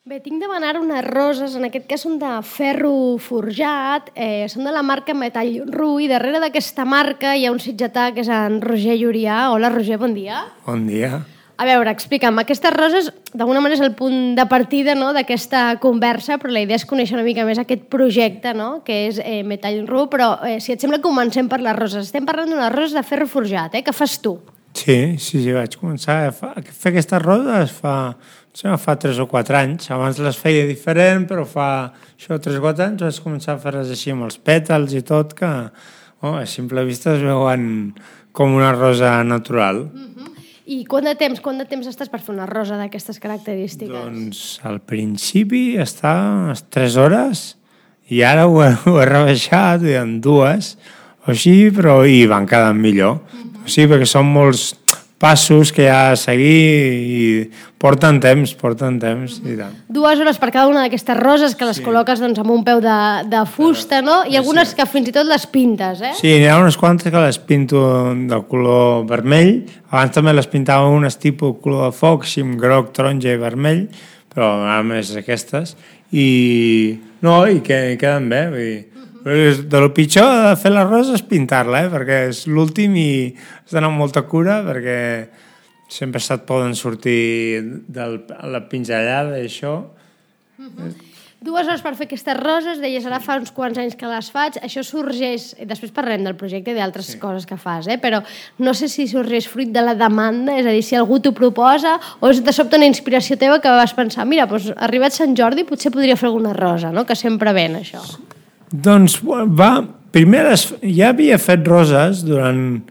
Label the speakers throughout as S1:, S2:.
S1: Bé, tinc de demanar unes roses, en aquest cas són de ferro forjat, són de la marca Metall Ru, i darrere d'aquesta marca hi ha un sitgetà que és en Roger Llurià. Hola, Roger, bon dia.
S2: Bon dia.
S1: A veure, explica'm, aquestes roses d'alguna manera és el punt de partida, no?, d'aquesta conversa, però la idea és conèixer una mica més aquest projecte, no?, que és Metall Ru, però si et sembla comencem per les roses. Estem parlant d'unes roses de ferro forjat, que fas tu.
S2: Sí, vaig començar a fer aquestes roses fa 3 o 4 anys. Abans les feia diferent, però fa 3 o 4 anys vaig començar a fer-les així amb els pètals i tot, que a simple vista es veuen com una rosa natural.
S1: I quant de temps estàs per fer una rosa d'aquestes característiques?
S2: Doncs al principi estava unes 3 hores i ara ho he rebaixat en 2 o així, però hi van quedant millor. O sigui, perquè són molts passos que hi ha a seguir i porten temps i tant.
S1: 2 hores per cada una d'aquestes roses que les col·loques doncs, amb un peu de fusta, no? I algunes que fins i tot les pintes,
S2: Sí, n'hi ha unes quantes que les pinto del color vermell. Abans també les pintava unes tipus color de foc, així amb groc, taronja i vermell, però ara més aquestes. I queden bé, vull dir. De lo pitjor de fer la rosa és pintar-la, perquè és l'últim i has d'anar amb molta cura, perquè sempre se't poden sortir de la pinzellada i això.
S1: 2 hores per fer aquestes roses, deies, ara fa uns quants anys que les faig, això sorgeix, després parlarem del projecte i d'altres coses que fas, però no sé si sorgeix fruit de la demanda, és a dir, si algú t'ho proposa, o és de sobte una inspiració teva que vas pensar, mira, doncs, arribat Sant Jordi potser podria fer alguna rosa, no?, que sempre ven això.
S2: Doncs primer ja havia fet roses durant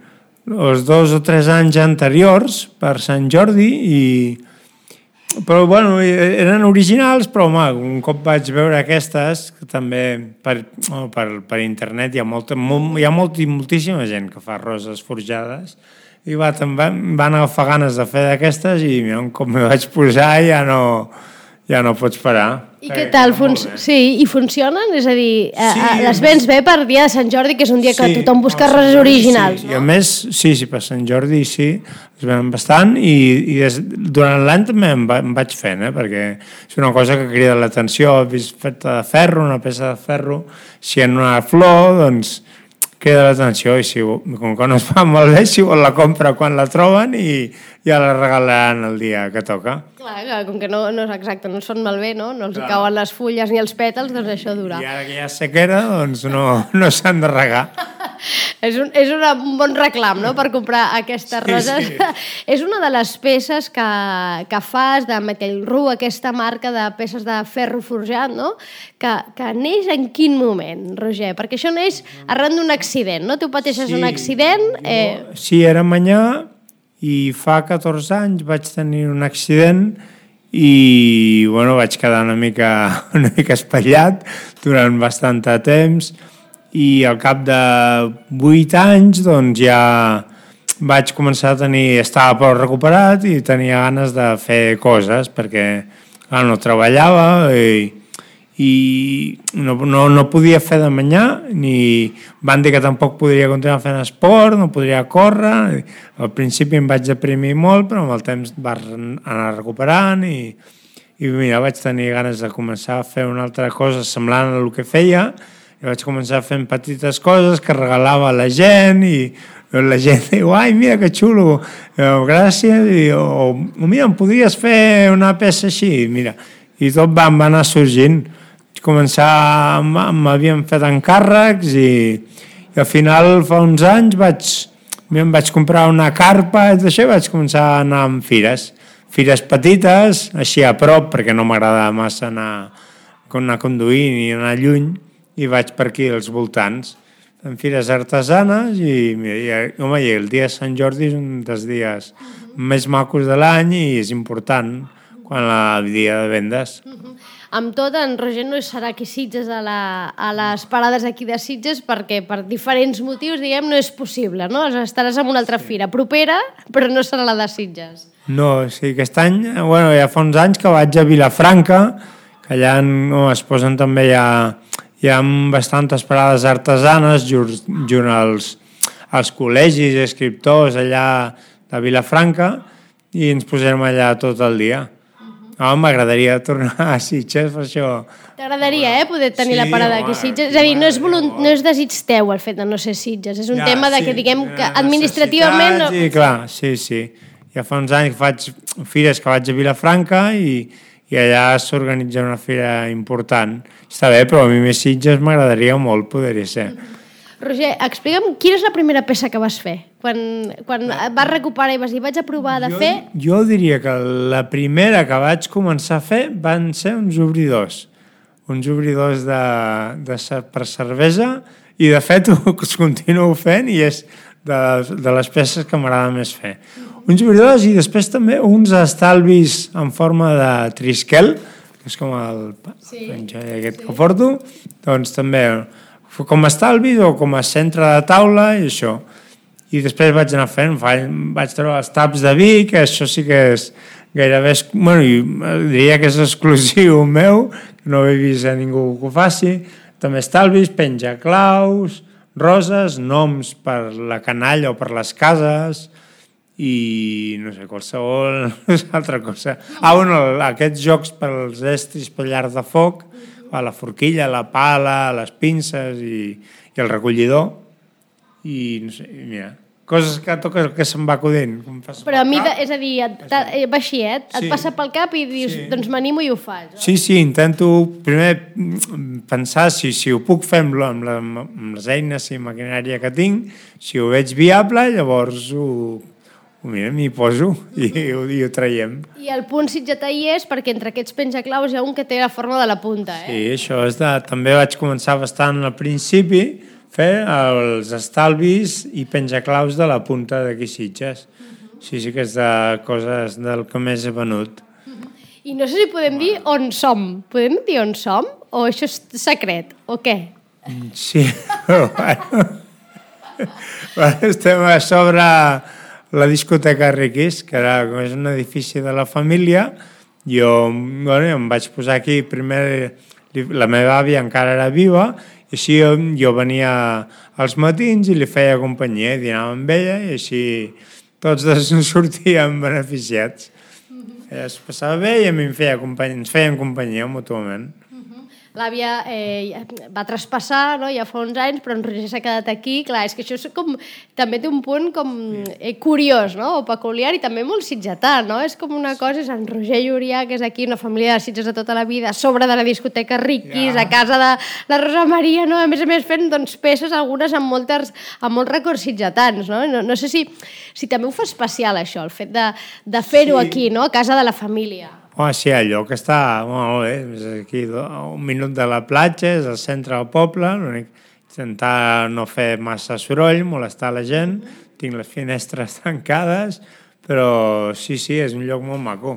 S2: els 2 o 3 anys anteriors per Sant Jordi, però eren originals, però un cop vaig veure aquestes, que també per internet hi ha moltíssima gent que fa roses forjades, i em van agafar ganes de fer d'aquestes i un cop m'hi vaig posar ja no pots parar.
S1: I què tal? Sí, i funcionen? És a dir, les vens bé per dia de Sant Jordi, que és un dia que tothom busca roses originals,
S2: no? I a més, sí, per Sant Jordi sí, es venen bastant i durant l'any també em vaig fent, perquè és una cosa que crida l'atenció, he vist feta de ferro, una peça de ferro, si en una flor, doncs crida l'atenció i com que no es fa molt bé, si vol la compra quan la troben i ja la regalaran el dia que toca.
S1: Clar, com que no són malbé, no els hi cauen les fulles ni els pètals, doncs això dura.
S2: I ara que hi ha sequera, doncs no s'han de regar.
S1: És un bon reclam, no?, per comprar aquestes roses. Sí. És una de les peces que fas de Metall Ru, aquesta marca de peces de ferro forjat, no?, que neix en quin moment, Roger? Perquè això neix arran d'un accident, no? Tu pateixes un accident...
S2: Sí, era manyà i fa 14 anys vaig tenir un accident i vaig quedar una mica espatllat durant bastant de temps i al cap de 8 anys doncs ja vaig començar estava prou recuperat i tenia ganes de fer coses perquè no treballava i no podia fer de manyà, ni van dir que tampoc podria continuar fent esport, no podria córrer. Al principi em vaig deprimir molt, però amb el temps vaig anar recuperant i mira, vaig tenir ganes de començar a fer una altra cosa semblant a el que feia i vaig començar fent petites coses que regalava a la gent i la gent diu, ai, mira que xulo, gràcies, o mira, em podries fer una peça així, mira, i tot va anar sorgint. M'havien fet encàrrecs i al final fa uns anys em vaig comprar una carpa i d'això vaig començar a anar amb fires petites, així a prop perquè no m'agrada massa anar conduint i anar lluny i vaig per aquí als voltants en fires artesanes i el dia de Sant Jordi és un dels dies més macos de l'any i és important quan el dia de vendes.
S1: Amb tot, en Roger no serà aquí a Sitges a les parades aquí de Sitges perquè per diferents motius, diguem, no és possible, no? Estaràs en una altra fira propera, però no serà la de Sitges.
S2: No, sí, aquest any, ja fa uns anys que vaig a Vilafranca, que allà es posen també hi ha bastantes parades artesanes junt als col·legis i escriptors allà de Vilafranca i ens posem allà tot el dia. No, m'agradaria tornar a Sitges, per això...
S1: T'agradaria, poder tenir la parada aquí a Sitges? És a dir, no és desig teu el fet de no ser Sitges, és un tema de que, diguem, que administrativament...
S2: Sí, clar, sí. Ja fa uns anys que faig fires que vaig a Vilafranca i allà s'organitza una fira important. Està bé, però a mi més Sitges m'agradaria molt poder-hi ser.
S1: Roger, explica'm quina és la primera peça que vas fer? Quan vas recuperar i vas dir, vaig a provar de fer...
S2: Jo diria que la primera que vaig començar a fer van ser uns obridors per cervesa, i de fet ho continuo fent i és de les peces que m'agrada més fer. Uns obridors i després també uns estalvis en forma de trisquel, que és com el aquest que porto, doncs també com a estalvis o com a centre de taula i això. I després vaig anar fent, vaig treure els taps de vi, que això sí que és gairebé, diria que és exclusiu meu, que no he vist a ningú que ho faci. També estalvis, penjaclaus, roses, noms per la canalla o per les cases i no sé, qualsevol altra cosa. Aquests jocs pels estris per llar de foc, la forquilla, la pala, les pinces i el recollidor i no sé, mira, coses que se'm va acudint.
S1: Però a mi, és a dir, va així, et passa pel cap i dius, doncs m'animo i ho faig.
S2: Sí, intento primer pensar si ho puc fer amb les eines i maquinària que tinc, si ho veig viable, llavors m'hi poso i ho traiem.
S1: I el punt sitgetà hi és perquè entre aquests penjaclaus hi ha un que té la forma de la punta,
S2: Sí, això és també vaig començar bastant al principi fer els estalvis i penjaclaus de la punta d'aquí Sitges. Sí que és de coses del que més he venut.
S1: I no sé si podem dir on som. Podem dir on som? O això és secret? O què?
S2: Sí, però estem a sobre la discoteca Riquis, que és un edifici de la família. Jo em vaig posar aquí, primer la meva àvia encara era viva, i així jo venia als matins i li feia companyia, dinava amb ella, i així tots dos ens sortíem beneficiats. Ella es passava bé i a mi ens feien companyia mútuament.
S1: L'àvia va traspassar, no? Ja fa uns anys, però en Roger s'ha quedat aquí. Clar, és que això és també té un punt curiós, no? O peculiar i també molt sitgetà, no? És com una cosa, és en Roger Llurià, que és aquí una família de Sitges de tota la vida, a sobre de la discoteca Riquis, a casa de la Rosa Maria, no? A més fent peces, algunes amb molts records sitgetans, no? No sé si també ho fa especial, això, el fet de fer-ho aquí, no? A casa de la família.
S2: Sí, el lloc està molt bé, és aquí a un minut de la platja, és al centre del poble, intentar no fer massa soroll, molestar la gent, tinc les finestres tancades, però sí, és un lloc molt maco.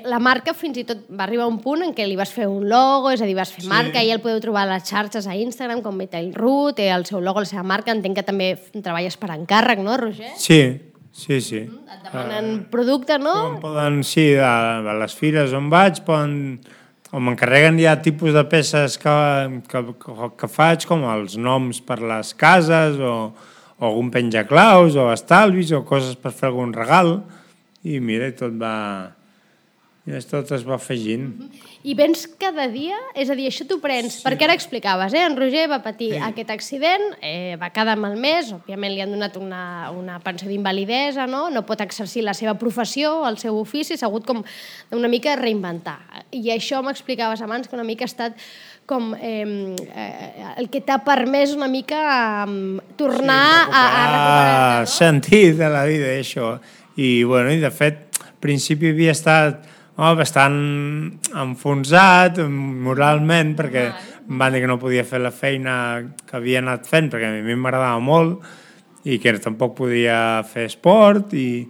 S1: La marca fins i tot va arribar a un punt en què li vas fer un logo, és a dir, vas fer marca, i el podeu trobar a les xarxes a Instagram, com Betailroot, té el seu logo, la seva marca, entenc que també treballes per encàrrec, no, Roger?
S2: Sí.
S1: Et demanen producte, no?
S2: A les fires on vaig, o m'encarreguen ja tipus de peces que faig, com els noms per les cases, o algun penjaclaus, o estalvis, o coses per fer algun regal, i mira, tot es va afegint.
S1: I vens cada dia? És a dir, això t'ho prens... Perquè ara explicaves, en Roger va patir aquest accident, va quedar malmès, òbviament li han donat una pensió d'invalidesa, no pot exercir la seva professió, el seu ofici, s'ha hagut com una mica reinventar. I això m'explicaves abans, que una mica ha estat com el que t'ha permès una mica tornar a recuperar-te.
S2: Sentit de la vida, això. I de fet, al principi havia estat bastant enfonsat moralment, perquè em van dir que no podia fer la feina que havia anat fent, perquè a mi m'agradava molt i que tampoc podia fer esport, i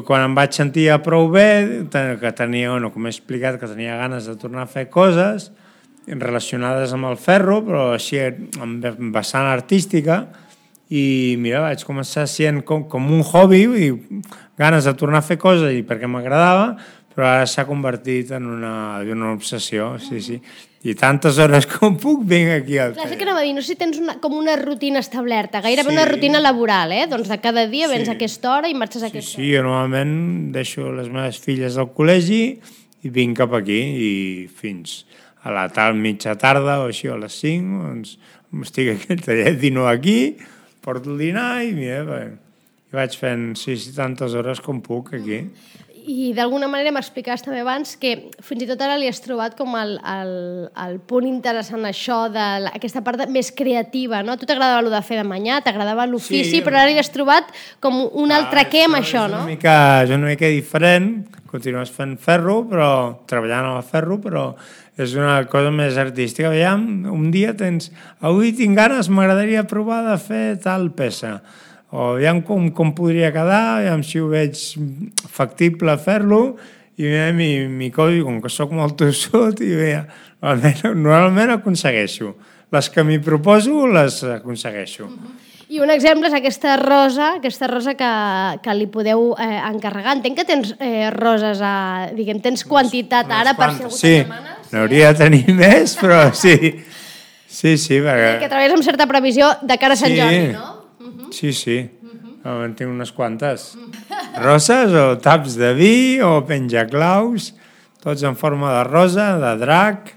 S2: quan em vaig sentir prou bé, que tenia, com he explicat, que tenia ganes de tornar a fer coses relacionades amb el ferro, però així amb vessant artística, i mira, vaig començar sent com un hobby, ganes de tornar a fer coses i perquè m'agradava, però ara s'ha convertit en una obsessió, sí. I tantes hores com puc vinc aquí al
S1: Clar,
S2: taller.
S1: és que anava a dir, no sé si tens com una rutina establerta, gairebé una rutina laboral, doncs de cada dia vens a aquesta hora i marxes a aquesta hora.
S2: Sí, jo normalment deixo les meves filles al col·legi i vinc cap aquí i fins a la mitja tarda o així, a les 5, doncs estic aquí al taller, dino aquí, porto el dinar i mira, vaig fent tantes hores com puc aquí.
S1: I d'alguna manera m'explicaves també abans que fins i tot ara li has trobat com el punt interessant això d'aquesta part més creativa, no? A tu t'agradava el de fer de manyà, t'agradava l'ofici, però ara li has trobat com un altre què amb això, no?
S2: És una mica diferent, continues fent ferro, treballant amb el ferro, però és una cosa més artística. Aviam, un dia avui tinc ganes, m'agradaria provar de fer tal peça. O aviam com podria quedar, aviam si ho veig factible fer-lo, i m'hi codo, com que soc molt tossut, i normalment aconsegueixo. Les que m'hi proposo les aconsegueixo.
S1: I un exemple és aquesta rosa que li podeu encarregar. Entenc que tens roses, diguem, tens quantitat ara per si algú te demana.
S2: Sí, n'hauria de tenir més, però sí. Sí, perquè...
S1: Que treballes amb certa previsió de cara a Sant Jordi, no?
S2: Sí. En tinc unes quantes. Roses o taps de vi o penjaclaus, tots en forma de rosa, de drac.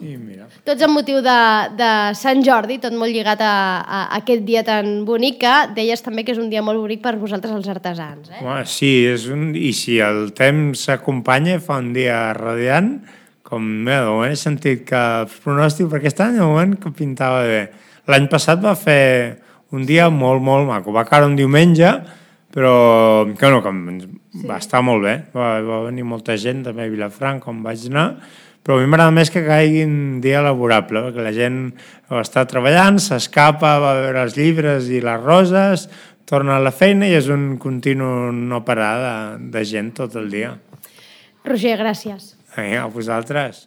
S2: I mira.
S1: Tots amb motiu de Sant Jordi, tot molt lligat a aquest dia tan bonic, que deies també que és un dia molt bonic per vosaltres els artesans.
S2: Sí, i si el temps s'acompanya, fa un dia radiant, com de moment he sentit que el pronòstic per aquest any, de moment que pintava bé. L'any passat va fer un dia molt, molt maco. Va caure un diumenge, però va estar molt bé. Va venir molta gent, també a Vilafranca, com vaig anar, però a mi m'agrada més que caigui un dia laborable, perquè la gent està treballant, s'escapa, va a veure els llibres i les roses, torna a la feina i és un continu no parar de gent tot el dia.
S1: Roger, gràcies.
S2: A vosaltres.